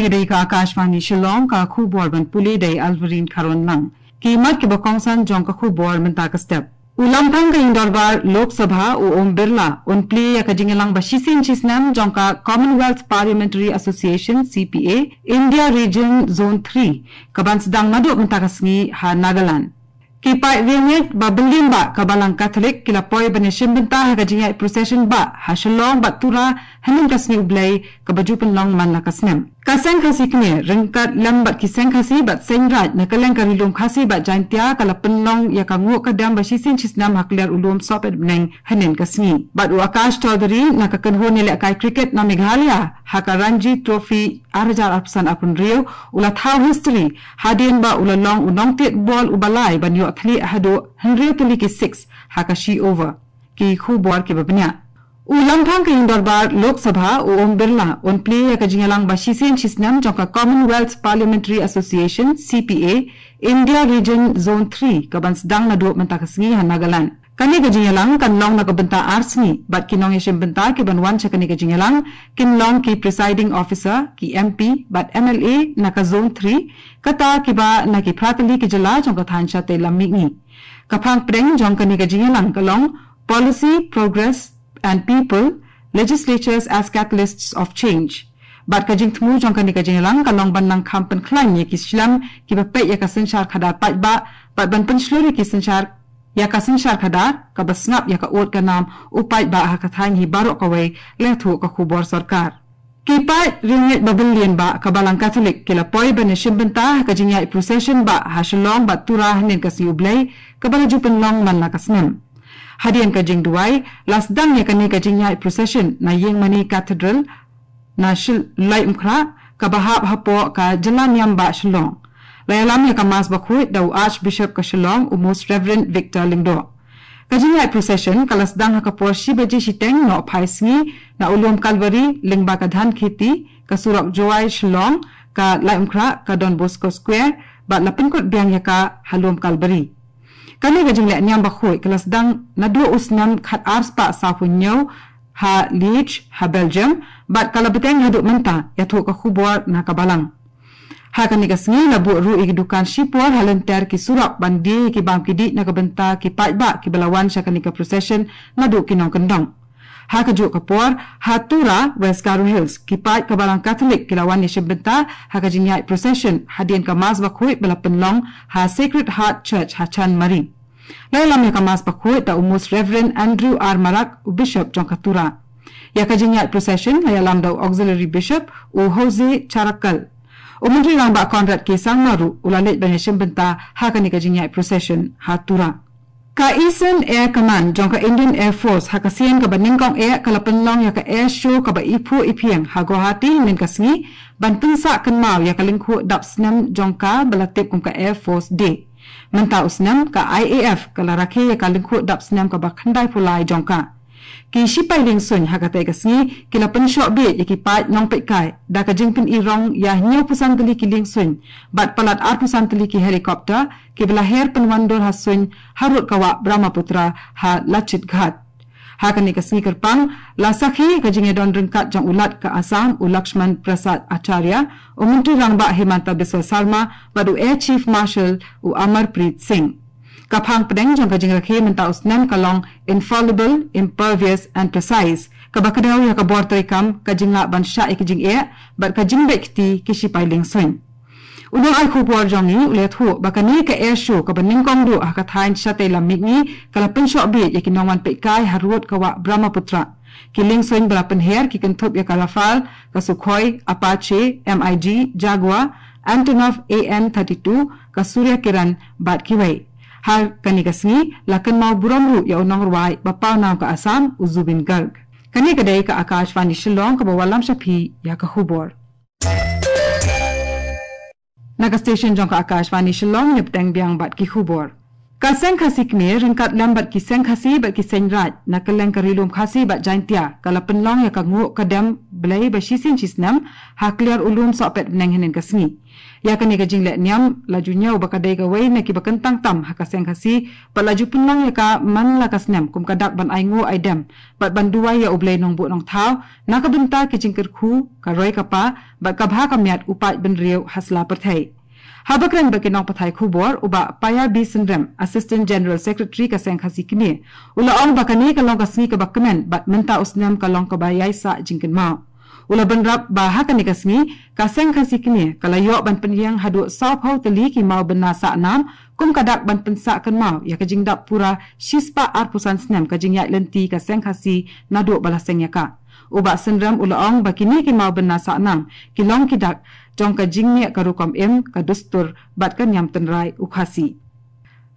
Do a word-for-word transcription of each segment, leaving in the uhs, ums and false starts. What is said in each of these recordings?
Dei ka Akashvani Shillong, ka khubor ban pule da i Alvarine Kharwanlang. Ki mat kiba kongsan jong ka khubor mynta ka step. U Lamphang ka ïing dorbar Lok Sabha u Om Birla un plie ïa ka jingïalang ba shisien shisnem jong ka Commonwealth Parliamentary Association, C P A, India Region Zone three, kaban sdang naduh mynta ka sngi ha Nagaland. Ki paid riewngeit ba byllion bah ka Balang Katholik ki la poi ban ïashim bynta ha ka jingïaid procession bah ha Shillong bad Tura hynnin ka sngi U Blei kaba ju pynlong man la ka snem. Ka Seng Khasi Kmie ryngkat lem bad ki Seng Khasi bad Seng Raij na kylleng ka Ri Lum Khasi bad Jaintia ka la pynlong ïa ka nguh ka dem ba shisien shisnem ha kliar u lum Sohpetbneng hynnin ka sngi. Bad u Akash Chaudhary na ka kynhun ïalehkai cricket na Meghalaya ha ka Ranji Trophy ar hajar arphew san arphew hynriew u la thaw history hadien ba u la long u nongtied bol uba lai ban ïoh thylliej haduh hynriew tylli ki six ha ka shi over. Ki khubor kiba bniah. U Lamphang ka ïing dorbar Lok Sabha u Om Birla un plie ïa ka jingïalang ba shisien shisnem jong ka Commonwealth Parliamentary Association, C P A, India Region Zone three kaban sdang naduh mynta ka sngi ha Nagaland. Kane ka jingïalang kan long na ka bynta ar sngi bad ki nongïashim bynta kiban wan sha kane ka jingïalang kin long ki presiding officer, ki M P bad M L A na ka Zone three, kata kiba na ki phra tylli ki jylla jong ka thaiñ shatei lam mihngi. Ka phang pdeng jong kane ka jingïalang ka long Policy, Progress and People, Legislatures as Catalysts of Change. Bad ka jingthmu jong kane ka jingïalang ka long ban nang kham pynkhlaiñ ïa ki shlem kiba peit ïa ka synshar khadar paidbah bad ban pynshlur ïa ki synshar ïa ka synshar khadar kaba sngap ïa ka ud ka nam u paidbah ha ka thaiñ hi baroh kawei, la ïathuh ka khubor sorkar. Ki paid riewngeit ba byllion bah ka Balang Katholik ki la poi ban ïashim bynta ha ka jingïaid procession bah ha Shillong bad Tura hynnin ka sngi U Blei kaba la ju pynlong man la ka snem. Hadien ka jingduwai la sdang ïa kane ka jingïaid procession na Ïingmane Cathedral na Shil-, Laitumkhrah kaba hap hapoh ka jylla niam bah Shillong. La ïalam ïa ka Mass Bakhuid da u Archbishop ka Shillong, u Most Reverend Victor Lyngdoh. Ka jingïaid procession ka la sdang ha ka por shi baje shiteng nohphai sngi na u lum Kalbari lyngba ka Dhankheti, ka surok Jowai Shillong, ka Laitumkhrah, ka Don Bosco Square bad la pynkut biang ïa ka ha lum Kalbari. Kane ka jingleh niam bakhuid ka la sdang naduh u snem khat ar spah sawphew hynñiew ha Liège ha Belgium bad ka la bteng haduh mynta, ïathuh ka khubor na ka Balang. Ha kane ka sngi la buh ruh ïa ki dukan shipor ha lynter ki surok ban die ïa ki bam ki dih na ka bynta ki paidbah kiba la wan sha kane ka procession naduh ki nongkyndong. Ha kajuh ka por ha Tura, West Garo Hills, ki paid ka Balang Katholik ki la wan ïashim bynta ha ka jingïaid procession hadien ka Mass Bakhuid ba la pynlong ha Sacred Heart Church ha Chanmari. La ïalam ïa ka Mass Bakhuid da u Most Reverend Andrew R Marak, u Bishop jong ka Tura. Ïa ka jingïaid procession la ïalam da u Auxiliary Bishop, u Jose Charakal. U Myntri Rangbah Conrad K Sangma ruh u la leit ban ïashim bynta ha kane ka jingïaid procession ha Tura. Ka Eastern Air Command jong ka Indian Air Force ha ka sien kaba nyngkong eh ka la pynlong ïa ka air show kaba iphuh iphieng ha Guwahati hynnin ka sngi ban pynsah kynmaw ïa ka lyngkhuh dap snem jong ka ba la tip kum ka Air Force Day. Mynta u snem ka I A F ka la rakhe ïa ka lyngkhuh dap snem kaba khyndaiphew lai jong ka. Ki shipai liengsuiñ ha katei ka sngi ki la pynshoh bieit ïa ki paid nongpeitkai da ka jingpyni rong ïa hynñiewphew san tylli ki liengsuiñ bad palat arphew san tylli ki helicopter kiba la her pynwandur ha suiñ harud ka wah Brahmaputra ha Lachit Ghat. Ha kane ka sngi kyrpang la sakhi ka jingïadon ryngkat jong u Lat ka Assam u Lakshman Prasad Acharya, u Myntri Rangbah Himanta Biswa Sarma bad u Air Chief Marshal u Amarpreet Singh. Ka phang pdeng jong ka jingrakhe mynta u snem ka long Infallible, Impervious and Precise, kaba kdew ïa ka bor treikam, ka jinglah ban shah ïa ki jingeh bad ka jingbeit kti ki shipai liengsuiñ. U nongai khubor jong ngi u la ïathuh ba kane ka air show kaba nyngkong duh ha ka thaiñ shatei lam mihngi ka la pynshoh bieit ïa ki nongwan peitkai harud ka wah Brahmaputra. Ki liengsuiñ ba la pynher ki kynthup ïa ka Rafale, ka Sukhoi, Apache, MiG, Jaguar, Antonov A N thirty-two, ka Surya Kiran bad kiwei. Ha kane ka sngi la kynmaw burom ruh ïa u nongrwai ba pawnam ka Assam u Zubeen Garg. Kane ka dei ka Akashvani Shillong kaba wallam sha phi ïa ka khubor. Na ka station jong ka Akashvani Shillong, ngi bteng biang bad ki khubor. Ka Seng Khasi Kmie ryngkat lem bad ki Seng Khasi bad ki Seng Raij na kylleng ka Ri Lum Khasi bad Jaintia ka la pynlong ïa ka nguh ka dem Blei ba shisien shisnem ha kliar u lum Sohpetbneng hynnin ka sngi. Ïa kane ka jingleh niam la ju ñiew ba ka dei kawei na kiba kyntang tam ha ka Seng Khasi, bad la ju pynlong ïa ka man la ka snem kum ka dak ban ai nguh ai dem bad ban duwai ïa U Blei Nongbuh Nongthaw na ka bynta ki jingkyrkhu, ka roi ka par bad ka bha ka miat u paid bynriew ha sla pyrthei. Haba kren bad ki nongpathai khubor, u Bah Paya B Synrem, Assistant General Secretary ka Seng Khasi Kmie, u la ong ba kane ka long ka sngi kaba kmen bad mynta u snem ka long kaba ïai sah jingkynmaw. U la bynrap ba ha kane ka sngi ka Seng Khasi Kmie ka la ïoh ban pynïeng haduh sawphew tylli ki mawbynna sah nam kum ka dak ban pynsah kynmaw ïa ka jingdap pura shispah arphew san snem ka jingïaid lynti ka Seng Khasi naduh ba la seng ïa ka. U Bah Synrem u la ong ba kine ki mawbynna sah nam ki long ki dak jong ka jingniah ka rukom im, ka dustur bad ka niam tynrai u Khasi.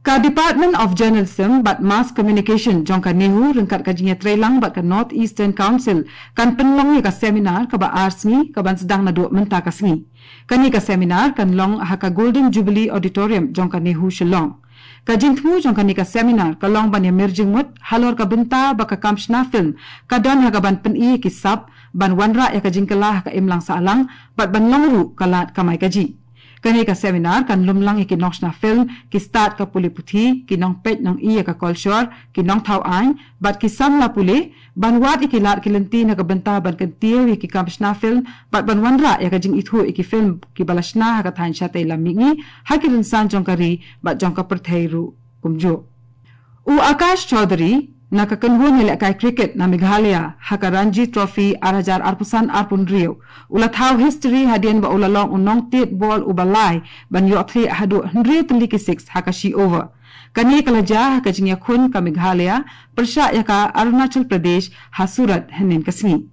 Ka Department of Journalism bad Mass Communication jong ka NEHU ryngkat ka jingïatreilang bad ka North Eastern Council kan pynlong ïa ka seminar kaba ar sngi kaban sdang naduh mynta ka sngi. Kane ka seminar kan long ha ka Golden Jubilee Auditorium jong ka NEHU Shillong. Ka jingthmu jong kane ka seminar ka long ban ïamir jingmut halor ka bynta ba ka kam shna film ka don ha kaban pyni ki sap ban wanrah ïa ka jingkylla ha ka imlang sahlang bad ban long ruh ka lad kamai kajih. Kane ka seminar kan lumlang ïa ki nongshna film, ki stad ka pule puthi, ki nongpeit nongi ïa ka kolshor, ki nongthaw aiñ bad ki samla pule, ban wad ïa ki lad ki lynti na ka bynta ban kyntiew ïa ki kam shna film bad ban wanrah ïa ka jingithuh ïa ki film kiba la shna ha ka thaiñ shatei lam mihngi ha ki rynsan jong ka ri bad jong ka pyrthei ruh kumjuh. U Akash Chaudhary na ka kynhun ïalehkai cricket na Meghalaya ha ka Ranji Trophy ar hajar arphew san arphew hynriew u la thaw history hadien ba u la long u nongtied bol uba lai ban ïoh thlieh haduh hynriew tylli ki six ha ka shi over. Kane ka la jia ha ka jingïakhun ka Meghalaya pyrshah ïa ka Arunachal Pradesh ha Surat hynnin ka sngi.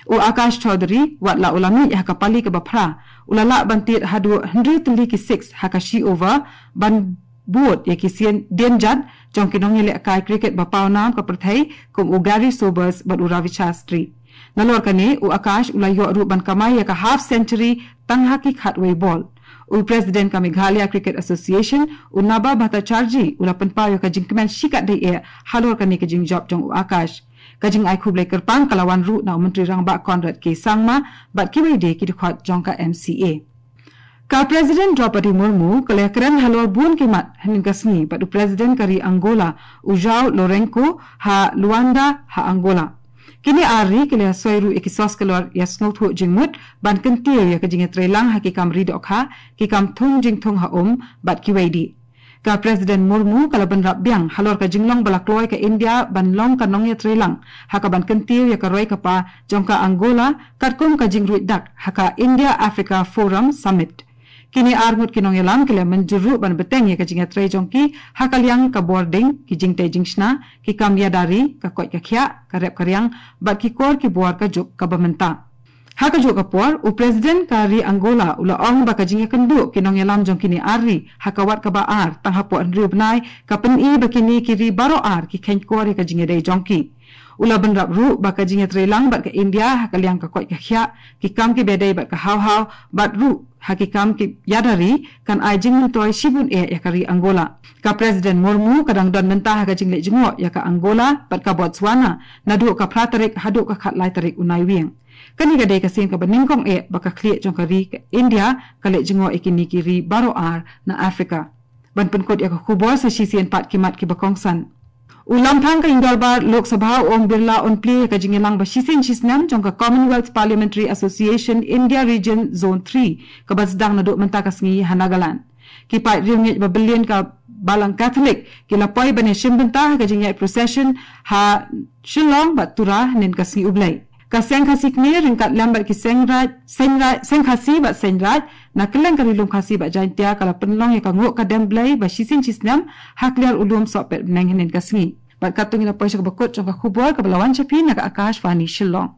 U Akash Chaudhary, wat la u la mih ha ka pali kaba phra, u la lah ban tied haduh hynriew tylli ki six ha ka shi over ban bud ïa ki sien dienjat jong ki nongïalehkai cricket ba pawnam ka pyrthei kum u Gary Sobers bad u Ravi Shastri. Nalor kane, u Akash u la ïoh ruh ban kamai ïa ka half century tang ha ki khatwei bol. U President ka Meghalaya Cricket Association, u Naba Bhattacharjee, u la pynpaw ïa ka jingkmen shikatdei eh halor kane ka jingjop jong u Akash. Ka jingai khublei kyrpang ka la wan ruh na u Myntri Rangbah Conrad K Sangma bad kiwei de ki dkhot jong ka M C A. Ka President Droupadi Murmu ka la kren halor bun ki mat hynnin ka sngi bad u President ka ri Angola, u João Lourenço, ha Luanda ha Angola. Kine ar ri ki la soi ruh ïa ki soskelor ïa sngewthuh jingmut ban kyntiew ïa ka jingïatreilang ha ki kam ri dohkha, ki kam thung jingthung ha um bad kiwei de. Ka President Murmu ka la bynrap biang halor ka jinglong ba la kloi ka India ban long ka nongïatreilang ha kaban kyntiew ïa ka roi ka par jong ka Angola katkum ka jingruid dak ha ka India Africa Forum Summit. Kine ar ngut ki nongïalam ki la mynjur ruh ban bteng ïa ka jingïatrei jong ki ha ka liang ka bording, ki jingtei jingshna, ki kam ïada ri, ka koit ka khiah, ka rep ka riang bad ki kor ki bor ka juk kaba mynta. Ha kajuh ka por, u President ka ri Angola u la ong ba ka jingïakynduh ki nongïalam jong kine ar ri ha ka wat kaba ar tang hapoh hynriew bnai ka pyni ba kine ki ri baroh ar ki kheiñ kor ïa ka jingïadei jong ki. U la bynrap ruh ba ka jingïatreilang bad ka India ha ka liang ka koit ka khiah, ki kam kiba ïadei bad ka haw haw bad ruh ha ki kam ki ïada ri kan ai jingmyntoi shibun eh ïa ka ri Angola. Ka President Murmu ka dang don mynta ha ka jingleit jngoh ïa ka Angola bad ka Botswana naduh ka phra tarik haduh ka khatlai tarik u Naiwieng. Kane ka dei ka sien kaba nyngkong eh ba ka khlieh jong ka ri ka India ka leit jngoh ïa kine ki ri baroh ar na Africa. Ban pynkut ïa ka khubor sa shisien pat ki mat kiba kongsan. U Lamphang ka Ïingdorbar Lok Sabha u Om Birla un plie ïa ka jingïalang ba shisien shisnem jong ka Commonwealth Parliamentary Association India Region Zone three kaba sdang naduh mynta ka sngi ha Nagaland. Ki paid riewngeit ba bylliah ka Balang Catholic ki la poi ban ïashim bynta ha ka jingïaid procession ha Shillong bad Tura hynnin ka sngi U Blei. Ka Seng Khasi Kmie ryngkat lem bad ki Seng Raij, Seng Raij, Seng Khasi bad Seng Raij na kylleng ka Ri Lum Khasi bad Jaintia ka la pynlong ïa ka nguh ka dem Blei ba shisien shisnem ha kliar u lum Sohpetbneng hynnin ka sngi. Bad katto ngi la poi sha kaba kut jong ka khubor kaba la wan sha phi na ka Akashvani Shillong.